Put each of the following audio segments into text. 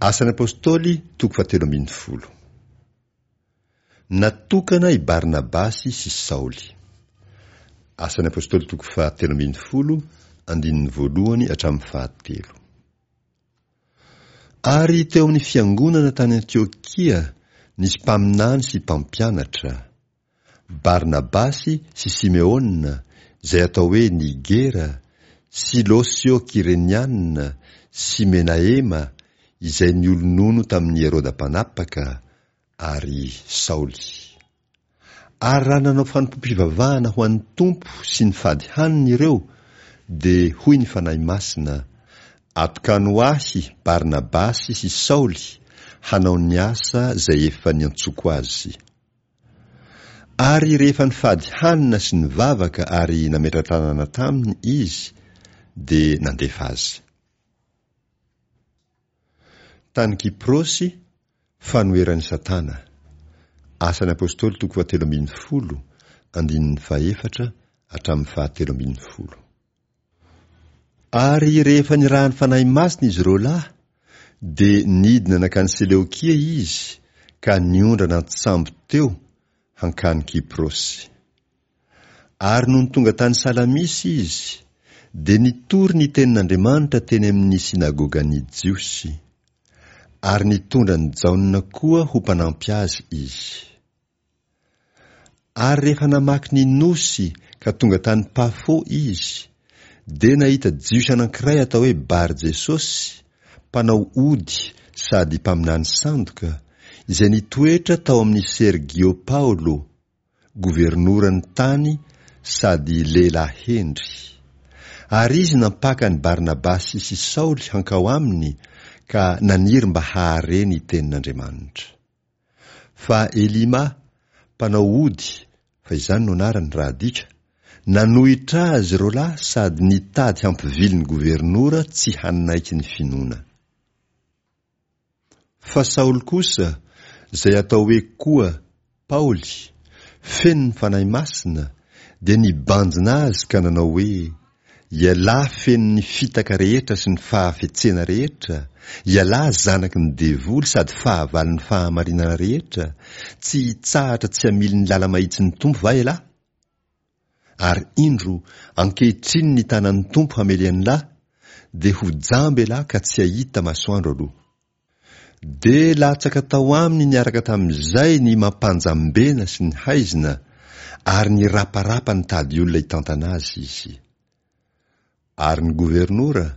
Asan'ny Apostoly toko fahatelo ambin'ny folo. Natokana i Barnabasy sy Saoly. Asan'ny Apostoly toko fahatelo ambin'ny folo, andininy voalohany hatramin'ny fahatelo. Ary teo amin'ny fiangonana tany Antiokia nisy mpaminany sy mpampianatra, Barnabasy sy Simeona, izay atao hoe Nigera, sy Losio Kyreniana sy Menahema, izay niolonono tamin'i Heroda mpanapaka, ary Saoly. Ary raha nanao fanompoam-pivavahana ho an'ny Tompo sy nifady hanina ireo, dia hoy ny Fanahy Masina, Atokano ho ahy Barnabasy sy Saoly hanao ny asa izay efa niantsoako azy. Ary rehefa nifady hanina sy nivavaka ary nametra-tanana taminy izy, dia nandefa azy. Tany Kyprosy, Fanoheran'i Satana. Asan'ny Apostoly toko fahatelo ambin'ny folo, andininy fahefatra hatramin'ny fahatelo ambin'ny folo. Ary rehefa nirahan'ny Fanahy Masina izy roa lahy, dia nidina nankany Seleokia izy ka niondrana an-tsambo teo hankany Kyprosy. Ary nony tonga tany Salamisy izy, dia nitory ny tenin'Andriamanitra teny amin'ny synagogan'ny Jiosy. Ary nitondra an'i Jaona koa ho mpanampy azy izy. Ary rehefa namaky ny nosy ka tonga tany Pafo izy, dia nahita Jiosy anankiray atao hoe Bar-Jesosy, mpanao ody sady mpaminany sandoka, izay nitoetra tao amin'i Sergio Paolo, governoran'ny tany sady lehilahy hendry. Ary izy nampaka an'i Barnabasy sy Saoly hankao aminy ka naniry mba hahare ny tenin'Andriamanitra. Fa Elima, mpanao ody, fa izany no anarany raha adika, nanohitra azy roalahy sady nitady hampivily ny governora tsy hanaiky ny finoana. Fa Saoly kosa, izay atao hoe koa Paoly, feno ny Fanahy Masina, dia nibanjina azy ka nanao hoe, Ialahy feno ny fitaka rehetra sy ny fahafetsena rehetra, ialahy zanaky ny devoly sady fahavalon'ny fahamarinana rehetra, tsy hitsahatra tsy hamily ny lala-mahitsin'ny Tompo va ialahy? Ary indro, ankehitriny ny tanan'ny Tompo hamely an'lah, dia ho jamba elah ka tsy hahita masoandro aloha. Dia latsaka tao aminy niaraka tamin'izay ny mampanjambena sy ny haizina, ary niraparapa nitady olona hitantana azy izy. Ary ny governora,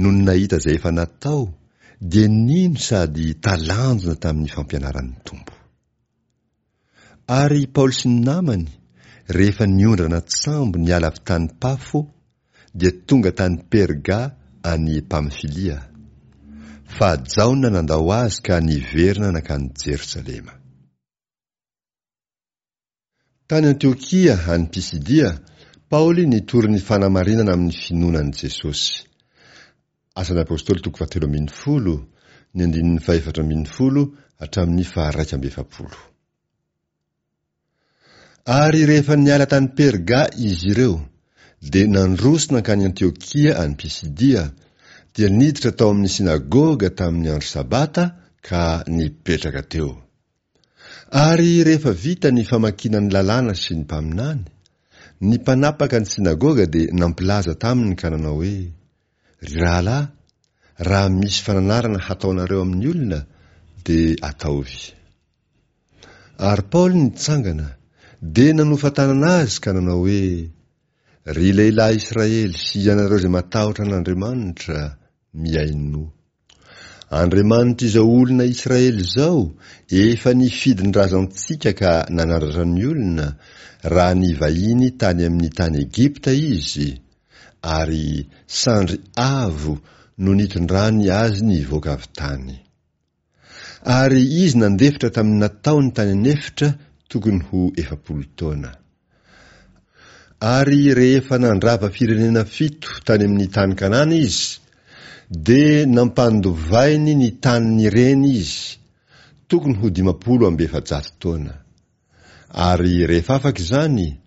nony nahita izay efa natao, dia nino sady talanjona tamin'ny fampianaran'ny Tompo. Ary i Paoly sy ny namany, rehefa niondrana an-tsambo niala avy tany Pafo, dia tonga tany Perga any Pamfilia. Fa Jaona nandao azy ka niverina nankany Jerosalema. Tany Antiokia any Pisidia, Paoly nitory ny fanamarinana amin'ny finoana an'i Jesosy. Asan'ny Apostoly toko fahatelo ambin'ny folo, ny andininy fahefatra ambin'ny folo hatramin'ny faharaika amby efapolo. Ary rehefa niala tany Perga izy ireo, dia nandroso nankany Antiokia any Pisidia, dia niditra tao amin'ny synagoga tamin'ny andro Sabata ka nipetraka teo. Ary rehefa vita ny famakiana ny lalàna sy ny mpaminany, ny mpanapaka ny synagoga dia nampilaza taminy ka nanao hoe, Ry rahalahy, raha misy fananarana hataonareo amin'ny olona, dia ataovy. Ary Paoly nitsangana, dia nanofa tanana azy ka nanao hoe, Ry lehilahy Israely sy ianareo izay matahotra an'Andriamanitra, mihainoa. Andriamanitr'izao olona Israely izao efa nifidy ny razantsika ka nanandratra ny olona raha nivahiny tany amin'ny tany Egypta izy, ary sandry avo no nitondrany azy nivoaka avy tany. Ary izy nandefitra tamin'ny nataony tany an'efitra tokony ho 40 taona. Ary rehefa nandrava firenena fito tany amin'ny tany Kanana izy, dia nampandovainy ny tanin'ireny izy, tokony ho 450 taona. Ary rehefa afaka izany,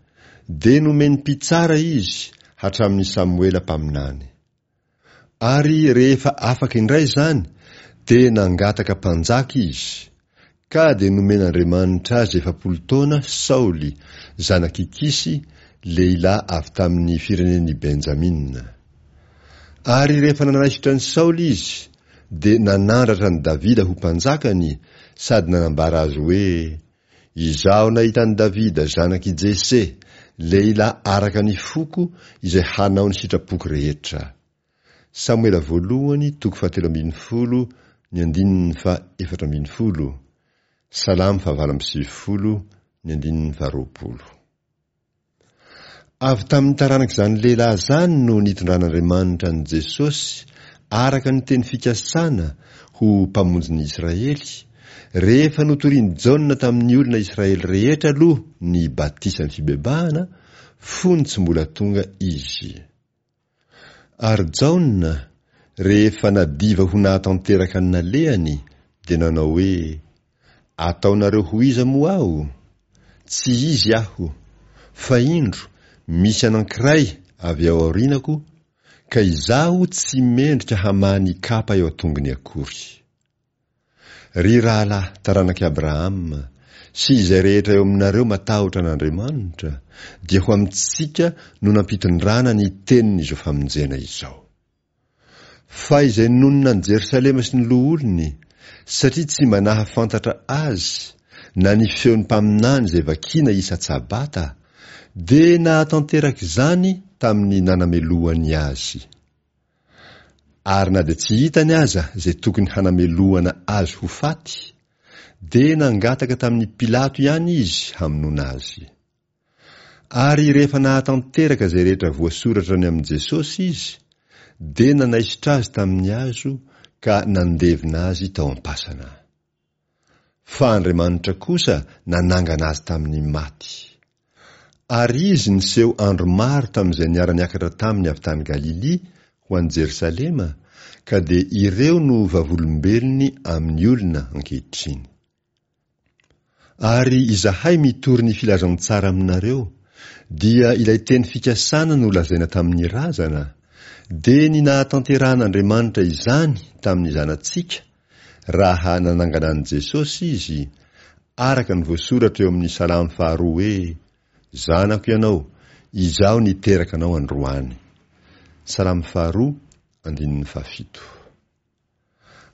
dia nomeny mpitsara izy hatramin'i Samoela mpaminany. Ary rehefa afaka indray izany, Dia nangataka mpanjaka izy, ka dia nomen'Andriamanitra azy 40 taona Saoly, zanak'i Kisy, lehilahy avy tamin'ny firenen'i Benjamina. Ary rehefa nanaisotra an'i Saoly izy, dia nanandratra an'i Davida ho mpanjakany sady nanambara azy hoe, Izaho nahita an'i Davida zanak'i Jese, lehilahy araka ny foko izay hanao ny sitrapoko rehetra. Samoela voalohany toko fahatelo ambin'ny folo ny andininy faha-14, Salamo fahavalo amby sivifolo ny andininy faharoapolo. Avy tamin'ny taranak'izany lehilahy izany no nitondran'Andriamanitra an'i Jesosy araka ny teny fikasana ho Mpamonjin'ny Israely, rehefa notorian'i Jaona tamin'ny olona Israely rehetra aloha ny batisan'ny fibebahana, fony tsy mbola tonga izy. Ary Jaona, rehefa nadiva ho nahatanteraka ny nalehany, dia nanao hoe, Ataonareo ho iza moa aho? Tsy izy aho, fa indro, misy anankiray avy ao aorianako, ka izaho tsy mendrika hamaha ny kapa eo an-tongony akory. Ry rahalahy taranak'i Abrahama, sy izay rehetra eo aminareo matahotra an'Andriamanitra, dia ho amintsika no nampitondrana ny tenin'izao famonjena izao. Fa izay nonina any Jerosalema sy ny loholony, satria tsy mba nahafantatra azy, na ny feon'ny mpaminany izay vakiana isa-tsabata, dia nahatanteraka izany tamin'ny nanamelohany azy. Ary na dia tsy hitany aza izay tokony hanamelohana azy ho faty, dia nangataka tamin'i Pilato ihany izy hamonoana azy. Ary rehefa nahatanteraka izay rehetra voasoratra ny amin'i Jesosy izy, dia nanaisotra azy tamin'ny hazo ka nandevina azy tao am-pasana. Fa Andriamanitra kosa nanangana azy tamin'ny maty. Ary izy niseho andro maro tamin'izay niara-niakatra taminy avy tany Galilia ho any Jerosalema, ka dia ireo no vavolombelony amin'ny olona ankehitriny. Ary izahay mitory ny filazantsara aminareo, dia ilay teny fikasana nolazaina tamin'ny razana, dia ny nahatanterahan'Andriamanitra izany tamin'ny zanatsika, raha nanangana an'i Jesosy izy, araka ny voasoratra eo amin'ny Salamo faharoa hoe, Zanako ianao, izaho niteraka anao androany. Salamo faharoa, andininy fahafito.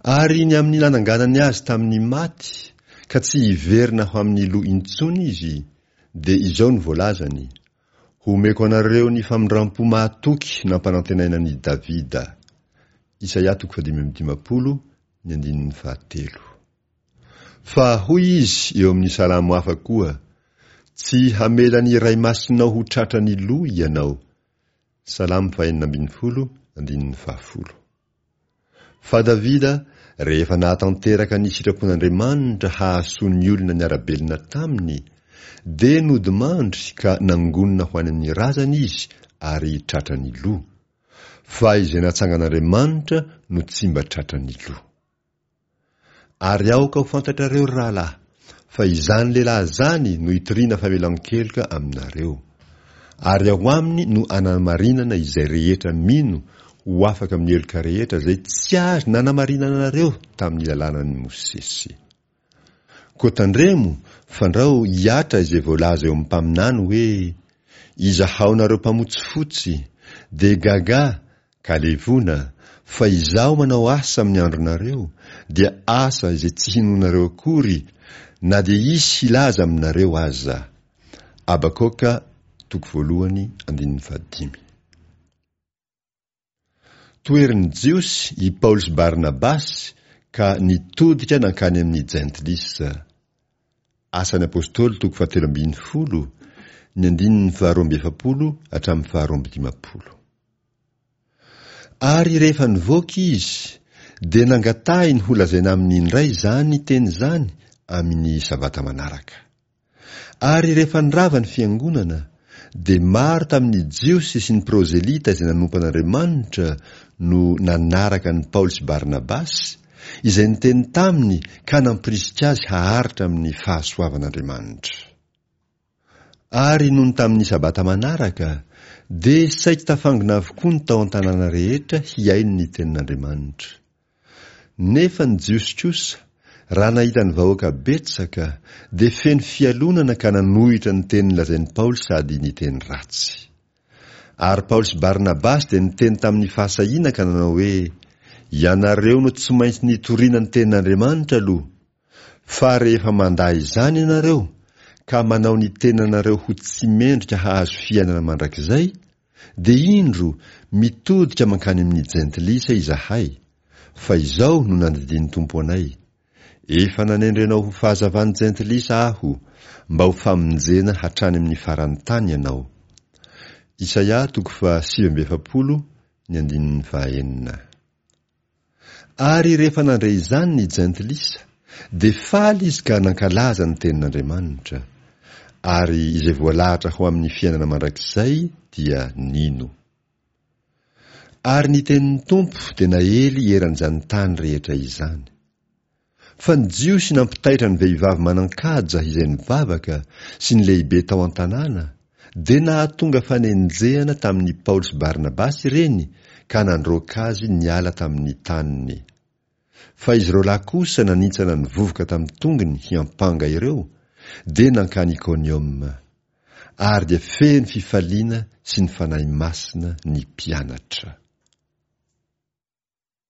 Ary ny amin'ny nananganany azy tamin'ny maty, ka tsy hiverina ho amin'ny lo intsony izy, dia izao no voalazany, Homeko anareo ny famindrampo mahatoky nampanantenaina an'i Davida. Isaia toko fahadimy amby dimampolo, ny andininy fahatelo. Fa hoy izy eo amin'ny salamo hafa koa, Tsy hamela ny Iray Masinao ho tratran'ny lo ianao. Salamo fahenina ambin'ny folo, andininy fahafolo. Fa Davida, rehefa nahatanteraka ny sitrapon'Andriamanitra hahasoa ny olona niara-belona taminy, dia nodimandry ka nangonina ho any amin'ny razany izy ary tratran'ny lo. Fa izay natsangan'Andriamanitra no tsy mba tratran'ny lo. Ary aoka ho fantatrareo, ry rahalahy, fa izany lehilahy izany no itoriana famelan-keloka aminareo. Ary ao aminy no anamarinana izay rehetra mino ho afaka amin'ny heloka rehetra izay tsy azo nanamarinana anareo tamin'ny lalànan'i Mosesy. Koa tandremo fandrao hihatra izay voalaza eo amin'ny mpaminany hoe, Izahao nareo mpamotsifotsy, dia gagà ka levona, fa izaho manao asa amin'ny andronareo, dia asa izay tsy hinoanareo akory, na dia hisy hilaza aminareo aza. Habakoka toko voalohany andininy fahadimy. Toherin'ny Jiosy i Paoly sy Barnabasy ka nitodika nankany amin'ny Jentilisa. Asan'ny Apostoly toko fahatelo ambin'ny folo, ny andininy faharoa amby efapolo hatramin'ny faharoa amby dimampolo. Ary rehefa nivoaka izy, dia nangatahiny holazaina aminy indray izany teny izany amin'ny Sabata manaraka. Ary rehefa nirava ny fiangonana, dia maro tamin'ny Jiosy sy ny prozelita izay nanompo an'Andriamanitra no nanaraka an'i Paoly sy Barnabasy, izay niteny taminy ka nampirisika azy haharitra amin'ny fahasoavan'Andriamanitra. Ary nony tamin'ny Sabata manaraka, dia saiky tafangona avokoa ny tao an-tanàna rehetra hihaino ny tenin'Andriamanitra. Nefa ny Jiosy kosa, raha nahita ny vahoaka betsaka, dia feno fialonana ka nanohitra ny teny nolazain'i Paoly sady niteny ratsy. Ary Paoly sy Barnabasy dia niteny tamin'ny fahasahiana ka nanao hoe, Ianareo no tsy maintsy nitoriana ny tenin'Andriamanitra aloha, fa rehefa mandà izany ianareo ka manao ny tenanareo ho tsy mendrika hahazo fiainana mandrakizay, dia indro mitodika mankany amin'ny Jentilisa izahay, fa izao no nandidian'ny Tompo anay, Efa nanendry anao ho fahazavan'ny Jentilisa Aho, mba ho famonjena hatrany amin'ny faran'ny tany ianao. Isaia toko faha 49 ny andininy faha enina. Ary rehefa nandre izany ny Jentilisa, dia faly izy ka nankalaza ny tenin'Andriamanitra. Ary izay voalahatra ho amin'ny fiainana mandrakizay dia nino. Ary ny tenin'ny Tompo dia naely eran'izany tany rehetra izany. Fa ny Jiosy nampitaitra ny vehivavy manan-kaja izay nivavaka sy ny lehibe tao an-tanàna, dia nahatonga fanenjehana tamin'i Paoly sy Barnabasy ireny ka nandroaka azy niala tamin'ny taniny. Fa izy ireo lahy kosa nanintsana ny vovoka tamin'ny tongony hiampanga ireo, dia nankany Ikonioma. Ary dia feno fifaliana sy ny Fanahy Masina ny mpianatra.